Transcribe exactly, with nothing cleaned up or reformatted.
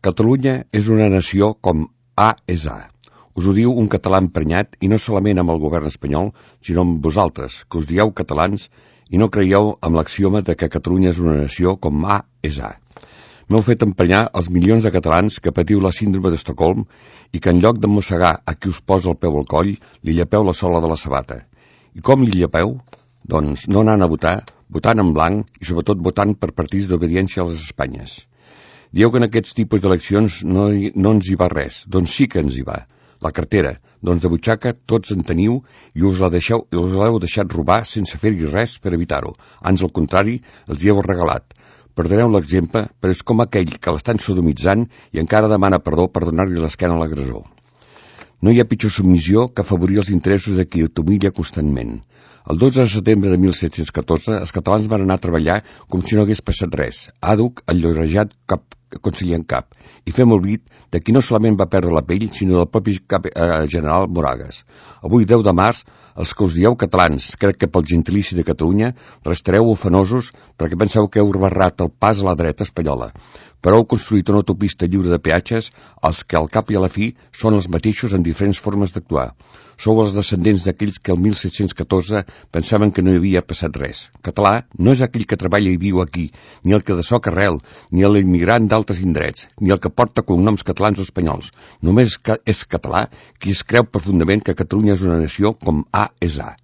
Catalunya és una nació com A és A. Us ho diu un català emprenyat i no solament amb el govern espanyol, sinó amb vosaltres, que us dieu catalans i no creieu amb l'axioma de que Catalunya és una nació com A és A. M'heu fet emprenyar els milions de catalans que patiu la síndrome d'Estocolm i que en lloc de mossegar a qui us posa el peu al coll, li llepeu la sola de la sabata. I com li llepeu? Doncs no anant a votar, votant en blanc i sobretot votant per partits d'obediència a les Espanyes. Dieu que en aquests tipus d'eleccions no, hi, no ens hi va res, doncs sí que ens hi va. La cartera, doncs de butxaca tots en teniu i us la deixeu, us l'heu deixat robar sense fer-hi res per evitar-ho. Ans al contrari, els hi heu regalat. Perdoneu l'exemple, però és com aquell que l'estan sodomitzant i encara demana perdó per donar-li l'esquena a l'agressor. No hi ha pitjor submissió que afavorir els interessos de qui t'humilla constantment. El dotze de setembre de mil set-cents catorze, els catalans van anar a treballar com si no hagués passat res, àdhuc, enllorejat cap conseller en cap, i fem olvid de qui no solament va perdre la pell, sinó del propi cap eh, general Moragues. Avui, deu de març, els que us dieu catalans, crec que pel gentilici de Catalunya, restareu ofenosos perquè penseu que heu barrat el pas a la dreta espanyola, però heu construït una autopista lliure de peatges, els que al cap i a la fi són els mateixos en diferents formes d'actuar. Sou els descendents d'aquells que el mil set-cents catorze pensaven que no hi havia passat res. Català no és aquell que treballa i viu aquí, ni el que de soc arrel, ni l'immigrant d'altres indrets, ni el que porta cognoms catalans o espanyols. Només és català qui es creu profundament que Catalunya és una nació com A és A.